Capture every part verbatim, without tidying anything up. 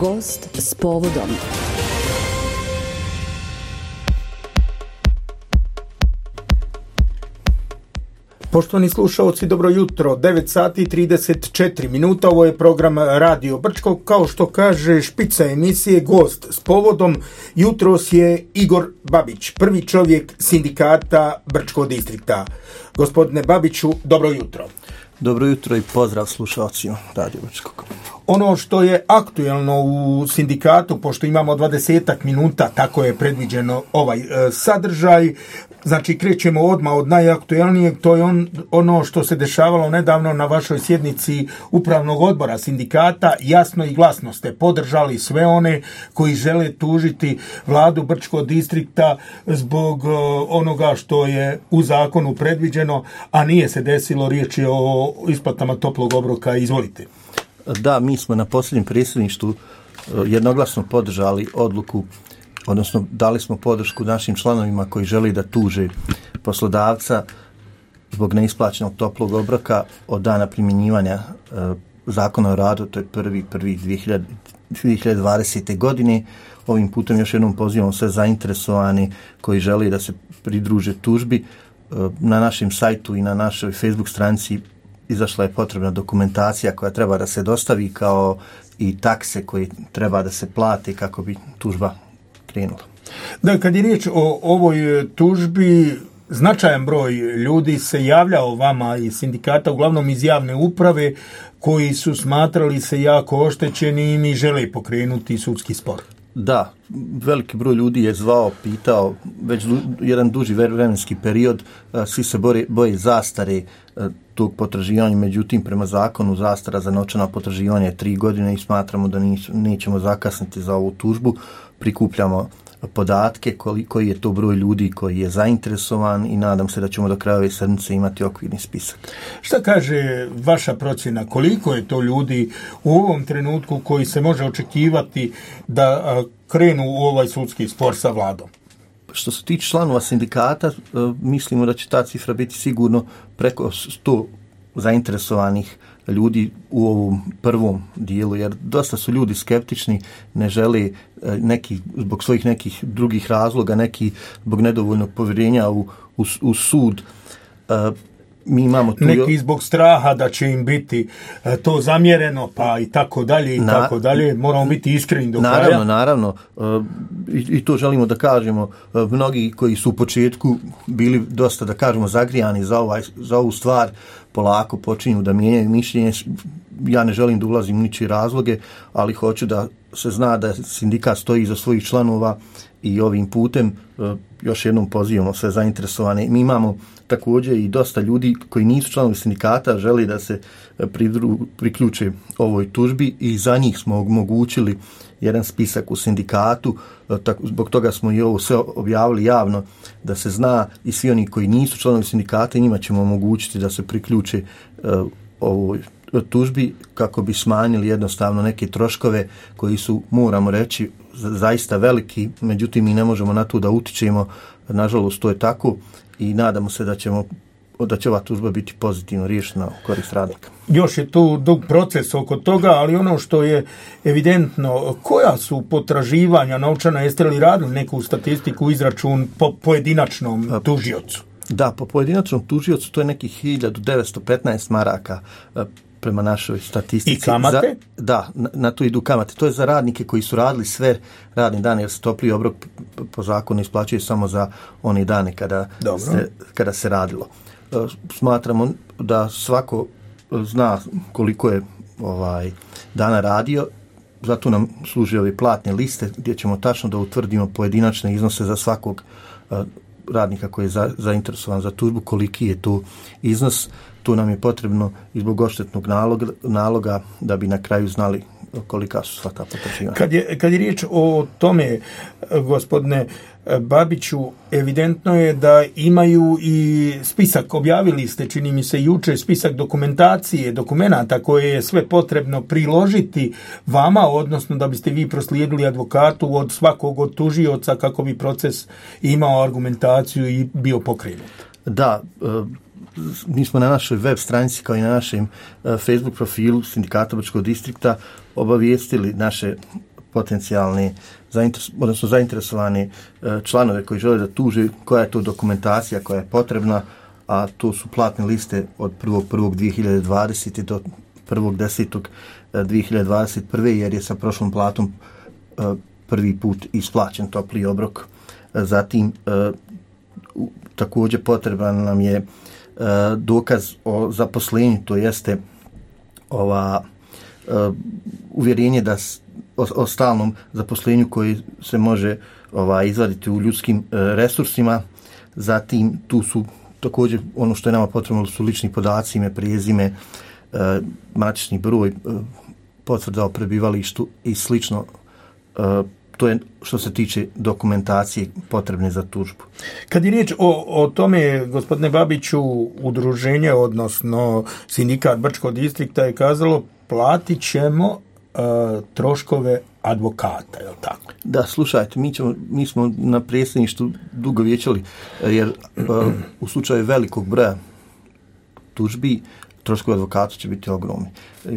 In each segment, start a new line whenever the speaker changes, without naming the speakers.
Gost s povodom.
Poštovani slušalci, dobro jutro, devet sati i trideset četiri minuta, ovo je program Radio Brčko, kao što kaže špica emisije, gost s povodom, jutros je Igor Babić, prvi čovjek sindikata Brčkog distrikta. Gospodine Babiću, dobro jutro.
Dobro jutro i pozdrav slušalcima Radio Brčkog.
Ono što je aktuelno u sindikatu, pošto imamo dvadesetak minuta, tako je predviđeno ovaj e, sadržaj, znači krećemo odmah od najaktuelnijeg, to je on, ono što se dešavalo nedavno na vašoj sjednici upravnog odbora sindikata. Jasno i glasno ste podržali sve one koji žele tužiti vladu Brčkog distrikta zbog e, onoga što je u zakonu predviđeno, a nije se desilo, riječ je o isplatama toplog obroka. Izvolite.
Da, mi smo na posljednjem predsjedništvu jednoglasno podržali odluku, odnosno dali smo podršku našim članovima koji želi da tuže poslodavca zbog neisplaćenog toplog obroka od dana primjenjivanja e, zakona o radu, to je prvi prvi dvije hiljade dvadesete. godine. Ovim putem još jednom pozivamo sve zainteresovani koji žele da se pridruže tužbi. E, na našem sajtu i na našoj Facebook stranici izašla je potrebna dokumentacija koja treba da se dostavi, kao i takse koje treba da se plate kako bi tužba krenula.
Da, kad je riječ o ovoj tužbi, značajan broj ljudi se javljao vama iz sindikata, uglavnom iz javne uprave, koji su smatrali se jako oštećeni i žele pokrenuti sudski spor.
Da, veliki broj ljudi je zvao, pitao, već jedan duži vremenski period, svi se boje, boje zastare tog potraživanja, međutim prema zakonu zastara za novčana potraživanja je tri godine i smatramo da nećemo zakasniti za ovu tužbu. Prikupljamo podatke koji, koji je to broj ljudi koji je zainteresovan i nadam se da ćemo do kraja ove sedmice imati okvirni spisak.
Šta kaže vaša procjena? Koliko je to ljudi u ovom trenutku koji se može očekivati da krenu u ovaj sudski spor sa vladom?
Što se tiče članova sindikata, mislimo da će ta cifra biti sigurno preko sto zainteresovanih ljudi u ovom prvom dijelu, jer dosta su ljudi skeptični, ne žele neki, zbog svojih nekih drugih razloga, neki zbog nedovoljnog povjerenja u, u, u sud. Mi imamo tu
neki zbog straha da će im biti to zamjereno, pa i tako dalje i Na, tako dalje. Moramo biti iskreni do
naravno,
kraja.
Naravno, naravno. I, I to želimo da kažemo. Mnogi koji su u početku bili dosta, da kažemo, zagrijani za, ovaj, za ovu stvar, polako počinju da mijenjaju mišljenje. Ja ne želim da ulazim u ničije razloge, ali hoću da se zna da sindikat stoji iza svojih članova i ovim putem još jednom pozivamo sve zainteresovane. Mi imamo također i dosta ljudi koji nisu članovi sindikata, želi da se pridru, priključe ovoj tužbi i za njih smo omogućili jedan spisak u sindikatu. Tako, zbog toga smo i ovo sve objavili javno da se zna, i svi oni koji nisu članovi sindikata, njima ćemo omogućiti da se priključe uh, ovoj tužbi kako bi smanjili jednostavno neke troškove koji su, moramo reći, zaista veliki, međutim mi ne možemo na to da utičemo, nažalost to je tako i nadamo se da ćemo da će ova tužba biti pozitivno riješena u korist radnika.
Još je tu dug proces oko toga, ali ono što je evidentno, koja su potraživanja novčana, jeste li radili neku statistiku, izračun po pojedinačnom tužiocu?
Da, po pojedinačnom tužiocu to je nekih hiljadu devetsto petnaest maraka prema našoj statistici.
I kamate?
Za, da, na, na to idu kamate. To je za radnike koji su radili sve radne dane, jer se topli obrok po zakonu isplaćuje samo za one dane kada, se, kada se radilo. Smatramo da svako zna koliko je ovaj dana radio, zato nam služe ove platne liste gdje ćemo tačno da utvrdimo pojedinačne iznose za svakog radnika koji je za, zainteresovan za tužbu, koliki je to iznos. To nam je potrebno i zbog odštetnog naloga, naloga da bi na kraju znali kolika su sva ta potraživanja.
Kad je, kad je riječ o tome, gospodine Babiću, evidentno je da imaju i spisak, objavili ste, čini mi se juče, spisak dokumentacije, dokumenata koje je sve potrebno priložiti vama, odnosno da biste vi proslijedili advokatu od svakog od tužioca kako bi proces imao argumentaciju i bio pokrenut.
Da, mi smo na našoj web stranici kao i na našem uh, Facebook profilu Sindikata Brčkog distrikta obavijestili naše potencijalne, zainteres, odnosno zainteresovane uh, članove koji žele da tuže koja je to dokumentacija koja je potrebna, a to su platne liste od prvog prvog dvije hiljade dvadesete do prvog desetog dvije hiljade dvadeset prve jer je sa prošlom platom uh, prvi put isplaćen topli obrok. Uh, zatim uh, također potreban nam je uh, dokaz o zaposlenju, to jeste ova uh, uvjerenje da s, o, o stalnom zaposlenju koji se može ova, izvaditi u ljudskim uh, resursima. Zatim tu su također ono što je nama potrebno su lični podaci, ime, prezime, uh, matični broj, uh, potvrda o prebivalištu i slično. Uh, to je što se tiče dokumentacije potrebne za tužbu.
Kad je riječ o, o tome, gospodine Babiću, udruženje, odnosno Sindikat Brčkog distrikta je kazalo platit ćemo uh, troškove advokata, je li tako?
Da, slušajte, mi, ćemo, mi smo na predsjedništvu dugo vijećali, jer uh, u slučaju velikog broja tužbi troškovi advokata će biti ogromni.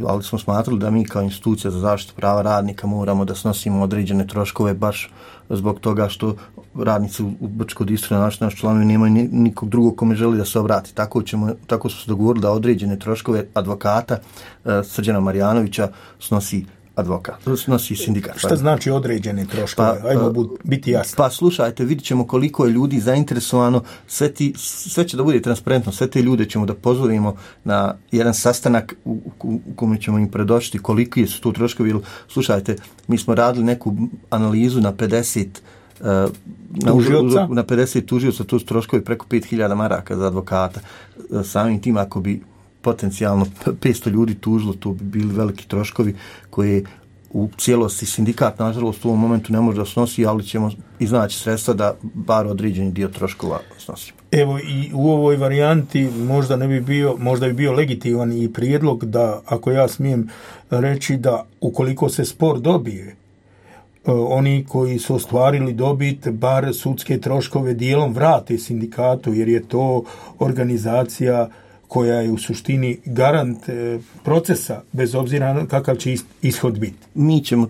Ali smo smatrali da mi kao institucija za zaštitu prava radnika moramo da snosimo određene troškove baš zbog toga što radnici u Brčkom distriktu, naši, naši članovi, nemaju nikog drugog kome želi da se obrati. Tako, ćemo, tako smo se dogovorili da određene troškove advokata uh, Srđana Marjanovića snosi advokat, snosi sindikat.
Šta znači određene troškove? Pa, ajmo uh, biti jasni.
Pa slušajte, vidit ćemo koliko je ljudi zainteresovano, sve, ti, sve će da bude transparentno, sve te ljude ćemo da pozovemo na jedan sastanak u, u, u kome ćemo im predočiti koliki su tu troškovi. Slušajte, mi smo radili neku analizu na pedeset uh, na, na pedeset tužioca, to su troškovi preko pet hiljada maraka za advokata. Uh, samim tim ako bi potencijalno petsto ljudi tužilo, to bi bili veliki troškovi koje u cijelosti sindikat, nažalost, u ovom momentu ne može da snosi, ali ćemo iznaći sredstva da bar određeni dio troškova snosimo.
Evo, i u ovoj varijanti možda ne bi bio, možda bi bio legitiman i prijedlog da, ako ja smijem reći, da ukoliko se spor dobije, oni koji su ostvarili dobit, bar sudske troškove dijelom vrate sindikatu, jer je to organizacija koja je u suštini garant e, procesa, bez obzira kakav će ishod biti.
Mi ćemo,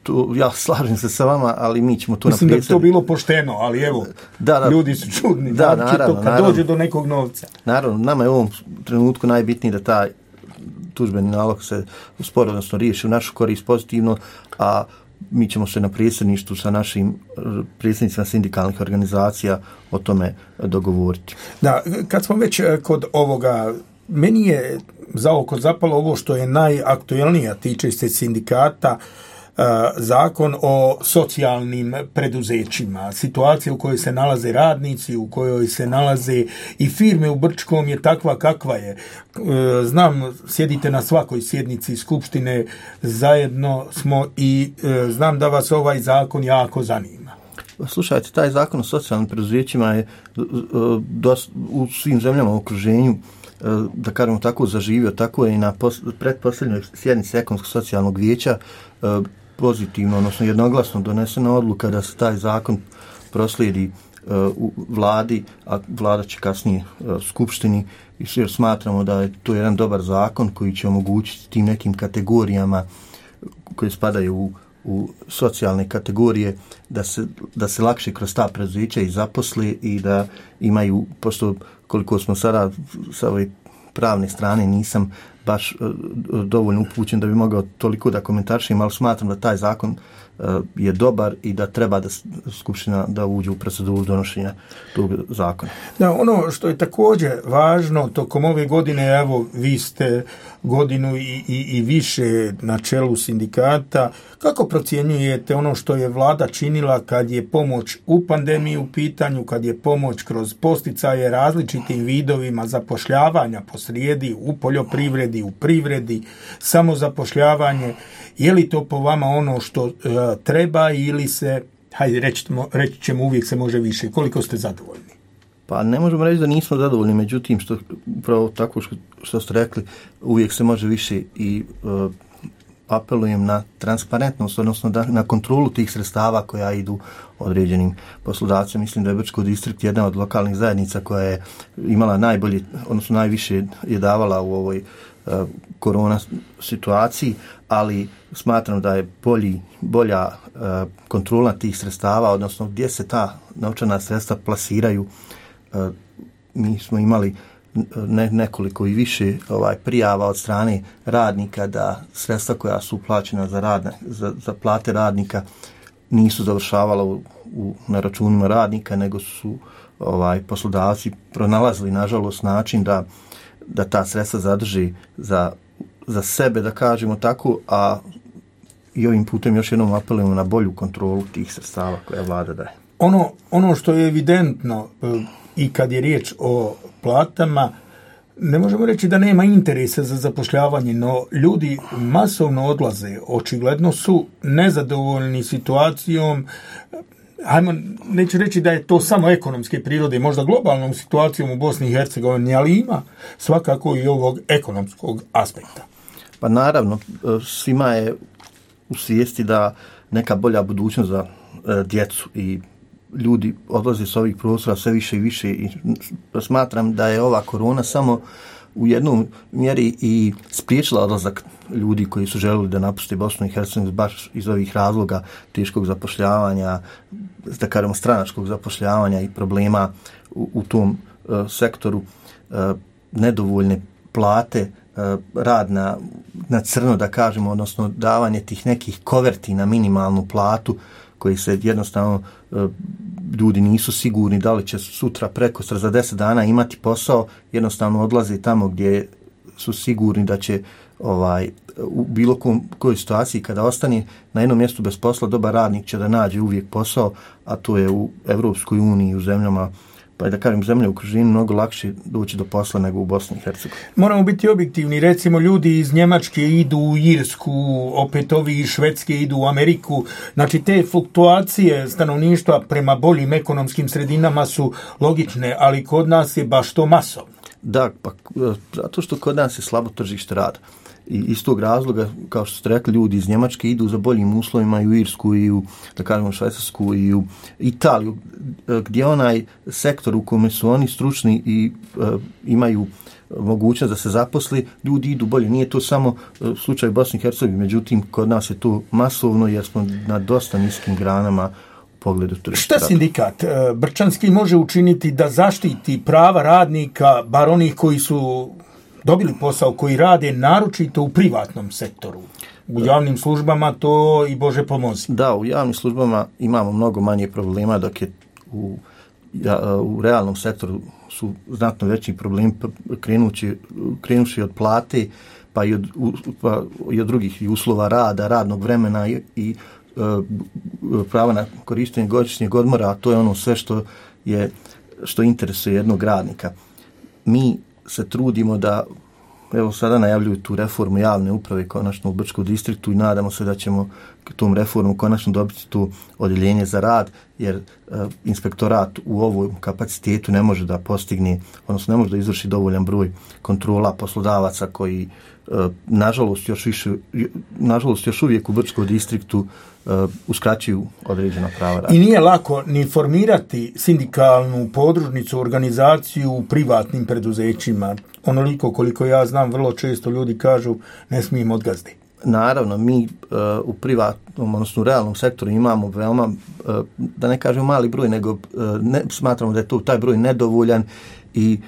to, ja slažem se sa vama, ali mi ćemo to
Mislim
napisati.
Mislim da bi to bilo pošteno, ali evo, da, da, ljudi su čudni.
Da, da naravno,
to kad
naravno,
dođe do nekog novca.
Naravno, nama je u ovom trenutku najbitnije da taj tužbeni nalog se sporo, odnosno riješi u našu korist pozitivno, a mi ćemo se na predsjedništvu sa našim predsjednicima sindikalnih organizacija o tome dogovoriti.
Da, kad smo već kod ovoga, meni je za oko zapalo ovo što je najaktuelnije, tiče se sindikata, zakon o socijalnim preduzećima. Situacija u kojoj se nalaze radnici, u kojoj se nalaze i firme u Brčkom je takva kakva je. Znam, sjedite na svakoj sjednici Skupštine, zajedno smo i znam da vas ovaj zakon jako zanima.
Slušajte, taj zakon o socijalnim preduzećima je u svim zemljama u okruženju, da kažemo tako, zaživio, tako je i na pretposljednjoj sjednici Ekonomsko-socijalnog vijeća pozitivno, odnosno jednoglasno donesena odluka da se taj zakon proslijedi u vladi, a vlada će kasnije skupštini, i jer smatramo da je to jedan dobar zakon koji će omogućiti tim nekim kategorijama koje spadaju u, u socijalne kategorije da se, da se lakše kroz ta preduzeća i zaposle i da imaju, pošto koliko smo sada sa ove pravne strane nisam baš uh, dovoljno upućen da bi mogao toliko da komentarišem, ali smatram da taj zakon uh, je dobar i da treba da Skupština da uđe u proceduru donošenja tog zakona.
Da, ono što je također važno, tokom ove godine, evo, vi ste godinu i, i, i više na čelu sindikata, kako procjenjujete ono što je vlada činila kad je pomoć u pandemiji u pitanju, kad je pomoć kroz posticaje različitim vidovima zapošljavanja posrijedi u poljoprivredi, u privredi, samozapošljavanje, je li to po vama ono što uh, treba ili se, hajde reći, reći ćemo, uvijek se može više? Koliko ste zadovoljni?
Pa ne možemo reći da nismo zadovoljni, međutim, što, upravo tako što, što ste rekli, uvijek se može više i uh, apelujem na transparentnost, odnosno da, na kontrolu tih sredstava koja idu određenim poslodavcima. Mislim da je Brčko distrikt jedna od lokalnih zajednica koja je imala najbolje, odnosno najviše je davala u ovoj uh, korona situaciji, ali smatram da je bolji, bolja uh, kontrola tih sredstava, odnosno gdje se ta novčana sredstva plasiraju. Uh, mi smo imali ne, nekoliko i više ovaj prijava od strane radnika da sredstva koja su plaćena za, radne, za, za plate radnika nisu završavala u, u, na računima radnika, nego su ovaj poslodavci pronalazili nažalost način da, da ta sredstva zadrži za, za sebe, da kažemo tako, a i ovim putem još jednom apelujemo na bolju kontrolu tih sredstava koja vlada daje.
Ono, ono što je evidentno i kad je riječ o platama, ne možemo reći da nema interesa za zapošljavanje, no ljudi masovno odlaze, očigledno su nezadovoljni situacijom, hajmo, neću reći da je to samo ekonomske prirode, možda globalnom situacijom u Bosni i Hercegovini, ali ima svakako i ovog ekonomskog aspekta.
Pa naravno, svima je u svijesti da neka bolja budućnost za djecu i ljudi odlaze s ovih prostora sve više i više i smatram da je ova korona samo u jednom mjeri i spriječila odlazak ljudi koji su želeli da napuste Bosnu i Hercegovinu baš iz ovih razloga teškog zapošljavanja, da kažemo stranačkog zapošljavanja i problema u, u tom uh, sektoru, uh, nedovoljne plate, uh, rad na, na crno, da kažemo, odnosno davanje tih nekih koverti na minimalnu platu koji se jednostavno uh, ljudi nisu sigurni da li će sutra, prekosutra, za deset dana imati posao, jednostavno odlaze tamo gdje su sigurni da će ovaj, u bilo kom, kojoj situaciji kada ostane na jednom mjestu bez posla, dobar radnik će da nađe uvijek posao, a to je u Evropskoj uniji, u zemljama, pa da kažem, zemlje u okruženju mnogo lakše doći do posla nego u Bosni i Hercegovini.
Moramo biti objektivni, recimo ljudi iz Njemačke idu u Irsku, opet ovi iz Švedske idu u Ameriku, znači te fluktuacije stanovništva prema boljim ekonomskim sredinama su logične, ali kod nas je baš to masovno.
Da, pa zato što kod nas je slabo tržište rada. I iz tog razloga, kao što ste rekli, ljudi iz Njemačke idu za boljim uslovima i u Irsku i u, da kažemo, Švajcarsku i u Italiju, gdje onaj sektor u kome su oni stručni i uh, imaju mogućnost da se zaposli, ljudi idu bolje. Nije to samo uh, slučaj Bosni i Hercegovine, međutim, kod nas je to masovno jer smo na dosta niskim granama u pogledu tržišta.
Šta sindikat Brčanski može učiniti da zaštiti prava radnika, bar onih koji su dobili posao, koji rade naročito u privatnom sektoru? U javnim službama to i Bože pomozi.
Da, u javnim službama imamo mnogo manje problema, dok je u, ja, u realnom sektoru su znatno veći problemi, krenući, krenući od plate, pa i od, pa i od drugih uslova rada, radnog vremena i, i uh, prava na korištenje godišnjeg odmora, a to je ono sve što je što interesuje jednog radnika. Mi se trudimo da, evo sada najavljuju tu reformu javne uprave konačno u Brčkom distriktu i nadamo se da ćemo tom reformu konačno dobiti tu odjeljenje za rad, jer uh, inspektorat u ovom kapacitetu ne može da postigne, odnosno ne može da izvrši dovoljan broj kontrola poslodavaca koji uh, nažalost još više, nažalost još uvijek u Brčkom distriktu uh, uskraćuju određena prava rada.
I nije lako ni formirati sindikalnu podružnicu, organizaciju u privatnim preduzećima. Onoliko koliko ja znam, vrlo često ljudi kažu ne smijem odgazdi.
Naravno, mi uh, u privatnom, odnosno u realnom sektoru imamo veoma, uh, da ne kažem mali broj, nego uh, ne, smatramo da je to taj broj nedovoljan i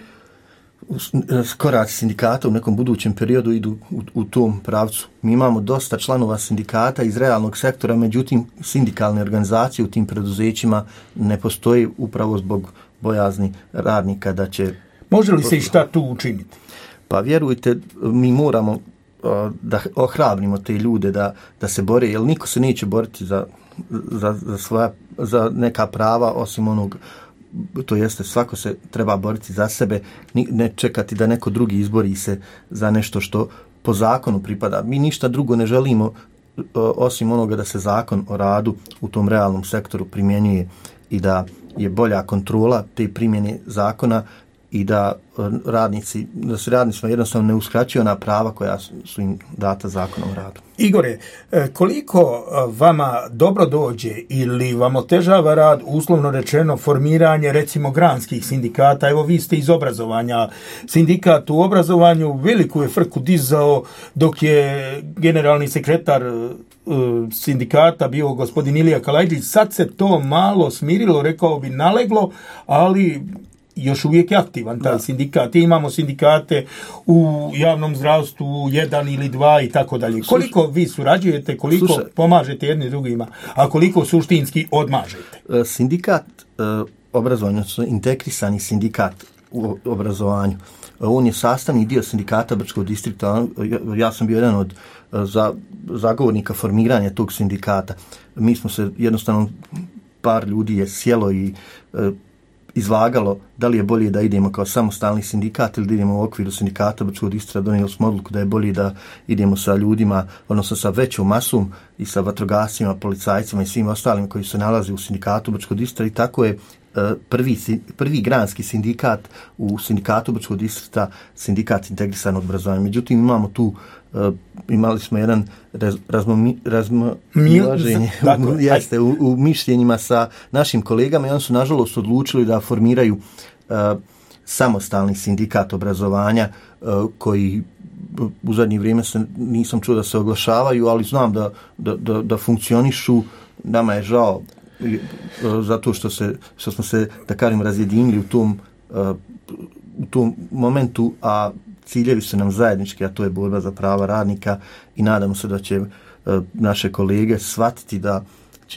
koraci sindikata u nekom budućem periodu idu u, u tom pravcu. Mi imamo dosta članova sindikata iz realnog sektora, međutim sindikalne organizacije u tim preduzećima ne postoji upravo zbog bojazni radnika da će...
Može li se i šta tu učiniti?
Pa vjerujte, mi moramo da ohrabrimo te ljude da, da se bore, jer niko se neće boriti za, za, za, svoja, za neka prava osim onog, to jeste svako se treba boriti za sebe, ne čekati da neko drugi izbori se za nešto što po zakonu pripada. Mi ništa drugo ne želimo osim onoga da se zakon o radu u tom realnom sektoru primjenjuje i da je bolja kontrola te primjene zakona i da radnici, da se radnicima jednostavno ne uskraćuju ona prava koja su im data zakonom o radu.
Igore, koliko vama dobro dođe ili vam otežava rad, uslovno rečeno, formiranje recimo granskih sindikata? Evo, vi ste iz obrazovanja. Sindikat u obrazovanju veliku je frku dizao dok je generalni sekretar sindikata bio gospodin Ilija Kalajđić. Sad se to malo smirilo, rekao bi naleglo, ali još uvijek je aktivan taj da. sindikat. I imamo sindikate u javnom zdravstvu, jedan ili dva i tako dalje. Koliko vi surađujete, koliko Slušaj. pomažete jedni drugima, a koliko suštinski odmažete?
Sindikat obrazovanja, integrisani sindikat u obrazovanju, on je sastavni dio sindikata Brčkog distrikta. Ja sam bio jedan od za, zagovornika formiranja tog sindikata. Mi smo se jednostavno, par ljudi je sjelo i izvagalo da li je bolje da idemo kao samostalni sindikat ili da idemo u okviru sindikata Brčkog distrikta. Donijeli smo odluku da je bolje da idemo sa ljudima, odnosno sa većom masom i sa vatrogascima, policajcima i svim ostalim koji se nalaze u sindikatu Brčkog distrikta, i tako je prvi, prvi granski sindikat u sindikatu Brčkog distrikta sindikat integrisanog obrazovanja. Međutim, imamo tu Uh, imali smo jedan raz, razmo, razmoilaženje jeste, u, u mišljenjima sa našim kolegama i oni su nažalost odlučili da formiraju uh, samostalni sindikat obrazovanja uh, koji u zadnje vrijeme se, nisam čuo da se oglašavaju, ali znam da, da, da, da funkcionišu. Nama je žao uh, zato što, se, što smo se, da kažem, razjedinili u tom, uh, u tom momentu, a ciljevi su nam zajednički, a to je borba za prava radnika, i nadamo se da će uh, naše kolege shvatiti da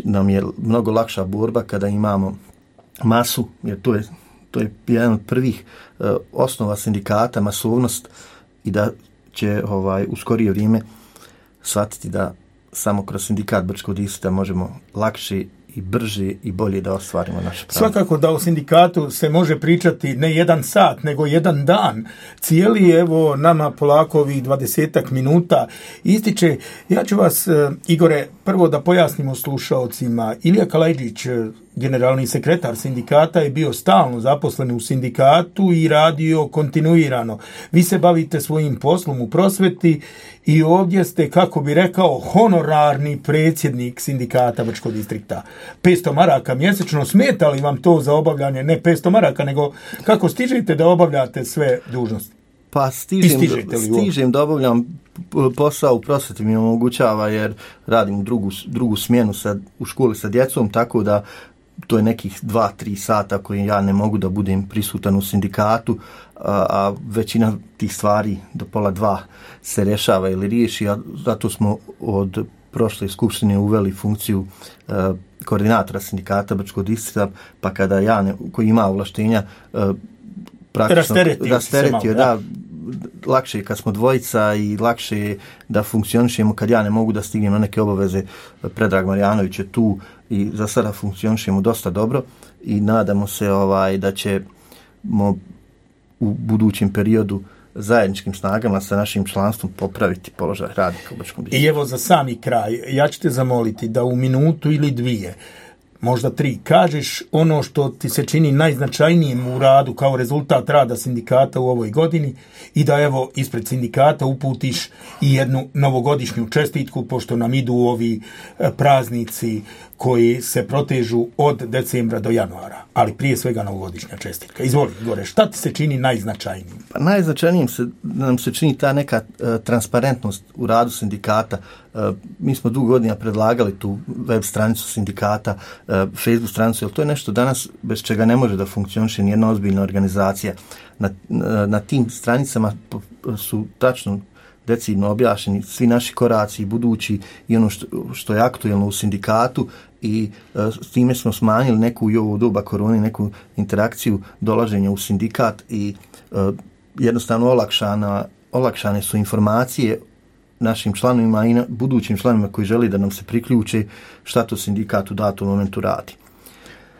nam je mnogo lakša borba kada imamo masu, jer to je, to je jedan od prvih uh, osnova sindikata, masovnost, i da će ovaj, u skorije vrijeme shvatiti da samo kroz sindikat Brčkog distrikta možemo lakše i brže i bolje da ostvarimo naše pravo.
Svakako da u sindikatu se može pričati ne jedan sat, nego jedan dan. Cijeli, evo, nama polako ovih dvadesetak minuta ističe. Ja ću vas, Igore, prvo da pojasnimo slušaocima. Ilija Kalajđić, generalni sekretar sindikata, je bio stalno zaposlen u sindikatu i radio kontinuirano. Vi se bavite svojim poslom u prosveti i ovdje ste, kako bi rekao, honorarni predsjednik sindikata Brčkog distrikta. petsto maraka mjesečno, smeta li vam to za obavljanje, ne petsto maraka, nego kako stižete da obavljate sve dužnosti?
Pa stižem, stižem da obavljam posao u prosveti, mi omogućava, jer radim u drugu, drugu smjenu sa, u školi sa djecom, tako da to je nekih dva, tri sata koji ja ne mogu da budem prisutan u sindikatu, a, a većina tih stvari do pola dva se rješava ili riješi, a zato smo od prošle skupštine uveli funkciju uh, koordinatora sindikata Brčkog distrikta, pa kada ja, ne, koji ima ovlaštenja, uh, praktično rasteretio, da, lakše je kad smo dvojica i lakše je da funkcionišemo kad ja ne mogu da stignem na neke obaveze. Predrag Marjanović je tu i za sada funkcionišemo dosta dobro i nadamo se ovaj da ćemo u budućem periodu zajedničkim snagama sa našim članstvom popraviti položaj radnika u Brčkom distriktu.
I evo za sami kraj, ja ću te zamoliti da u minutu ili dvije, možda tri, kažeš ono što ti se čini najznačajnijim u radu kao rezultat rada sindikata u ovoj godini i da evo ispred sindikata uputiš i jednu novogodišnju čestitku, pošto nam idu ovi praznici koji se protežu od decembra do januara, ali prije svega novogodišnja čestitka. Izvoli, Igore, šta ti se čini najznačajnijim?
Pa najznačajnijim se, nam se čini ta neka uh, transparentnost u radu sindikata. Uh, mi smo dugo godina predlagali tu web stranicu sindikata, uh, Facebook stranicu, jer to je nešto danas bez čega ne može da funkcioniše nijedna ozbiljna organizacija. Na, na, na tim stranicama su tačno decidno objašnjeni svi naši koraci budući i ono što, što je aktuelno u sindikatu i uh, s time smo smanjili neku i ovo doba korone, neku interakciju dolaženja u sindikat i uh, jednostavno olakšana, olakšane su informacije našim članovima i na budućim članovima koji želi da nam se priključe šta to sindikat u datom momentu radi.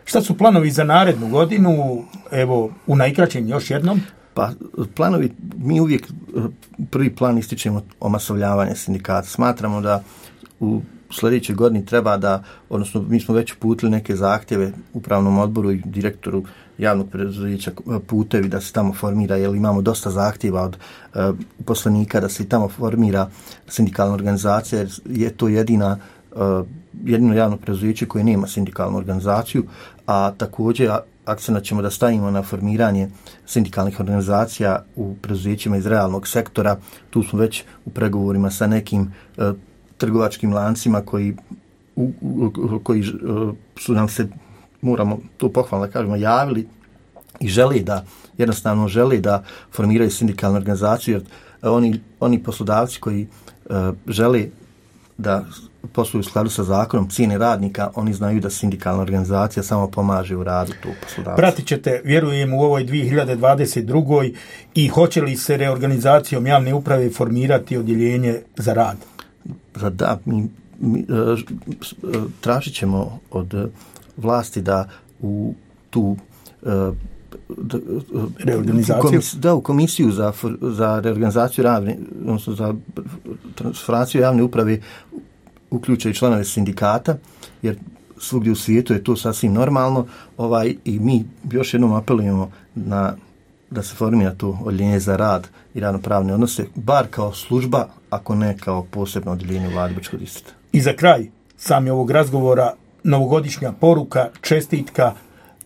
Šta su planovi za narednu godinu? Evo, u najkraćem još jednom.
Pa planovi, mi uvijek prvi plan ističemo omasovljavanje sindikata. Smatramo da u sljedećoj godini treba da, odnosno mi smo već uputili neke zahtjeve upravnom odboru i direktoru javnog preduzeća Putevi da se tamo formira, jer imamo dosta zahtjeva od uh, poslanika da se i tamo formira sindikalna organizacija, jer je to jedina uh, jedino javno preduzeće koje nema sindikalnu organizaciju, a također akcent ćemo da stavimo na formiranje sindikalnih organizacija u preduzećima iz realnog sektora. Tu smo već u pregovorima sa nekim uh, trgovačkim lancima koji, u, u, koji uh, su nam se, moramo to pohvalno da kažemo, javili i želi da, jednostavno želi da formiraju sindikalnu organizaciju, jer oni, oni poslodavci koji uh, žele da posluju u skladu sa zakonom cijene radnika, oni znaju da sindikalna organizacija samo pomaže u radu tog poslodavca.
Pratit ćete, vjerujem, u ovoj dvije hiljade dvadeset drugoj i hoće li se reorganizacijom javne uprave formirati odjeljenje za rad?
Da, mi, mi tražit ćemo od vlasti da u tu da,
reorganizaciju
komis, da u komisiju za, za reorganizaciju javne, odnosno za transformaciju javne uprave uključe i članove sindikata, jer svugdje u svijetu je to sasvim normalno, ovaj, i mi još jednom apelujemo na da se formira to odjeljenje za rad i radnopravne odnose, bar kao služba, ako ne kao posebno odjeljenje u vladi Brčkog distrikta.
I za kraj sami ovog razgovora, novogodišnja poruka, čestitka,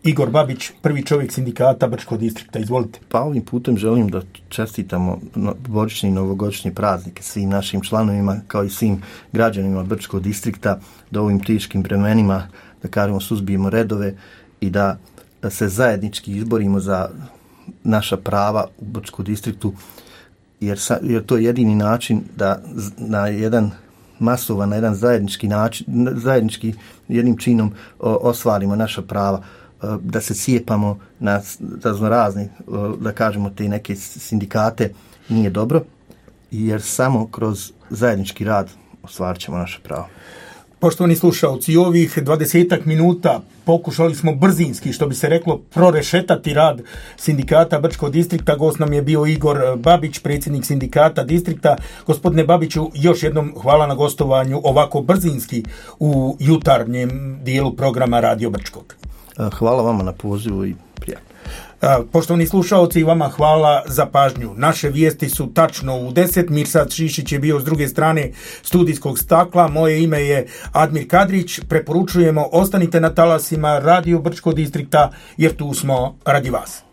Igor Babić, prvi čovjek sindikata Brčkog distrikta. Izvolite.
Pa ovim putem želim da čestitamo božićni i novogodišnji praznike svim našim članovima, kao i svim građanima Brčkog distrikta, da ovim teškim vremenima, da kažemo, suzbijemo redove i da se zajednički izborimo za naša prava u Brčkom distriktu, jer, sa, jer to je jedini način da na jedan masovan, na jedan zajednički način, zajednički jednim činom o, ostvarimo naša prava, da se cijepamo na raznorazne, da kažemo, te neke sindikate nije dobro, jer samo kroz zajednički rad ostvarit ćemo naše pravo.
Poštovani slušalci, ovih dvadesetak minuta pokušali smo brzinski, što bi se reklo, prorešetati rad sindikata Brčkog distrikta. Gost nam je bio Igor Babić, predsjednik sindikata distrikta. Gospodine Babiću, još jednom hvala na gostovanju ovako brzinski u jutarnjem dijelu programa Radio Brčkog.
Hvala vama na pozivu i prijatno.
Poštovani slušalci, vama hvala za pažnju. Naše vijesti su tačno u deset. Mirsad Šišić je bio s druge strane studijskog stakla. Moje ime je Admir Kadrić. Preporučujemo, ostanite na talasima Radio Brčkog distrikta, jer tu smo radi vas.